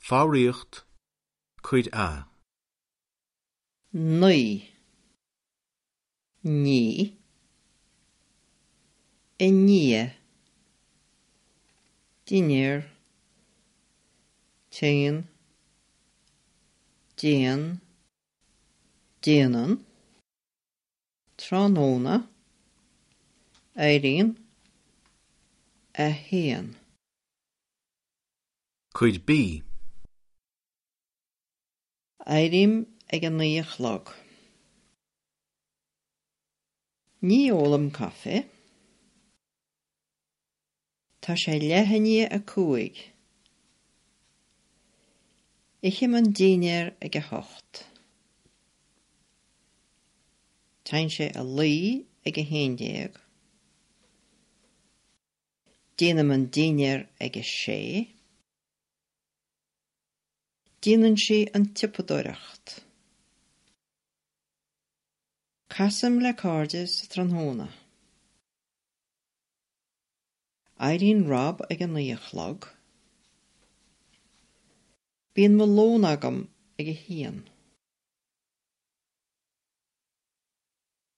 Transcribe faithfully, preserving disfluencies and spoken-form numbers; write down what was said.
Foghraíocht, Cuid A. Naoi. Ní. I ndiaidh. Dinnéar. Téann. Déan. Déanann. Tráthnóna. Éiríonn. A haon. Cuid B. Éirím ag a naoi a chlog. Ní ólaim caife. Tá sé leath i ndiaidh a cúig. Ithim an dinnéar ag a hocht. Téann sé a luí ag a haon déag. Déanaim an dinnéar ag a sé. Déanann sí an tsiopadóireacht. Casaim le cairde sa tráthnóna. Éiríonn Rob ag a naoi a chlog. Bíonn mo lón agam ag a haon.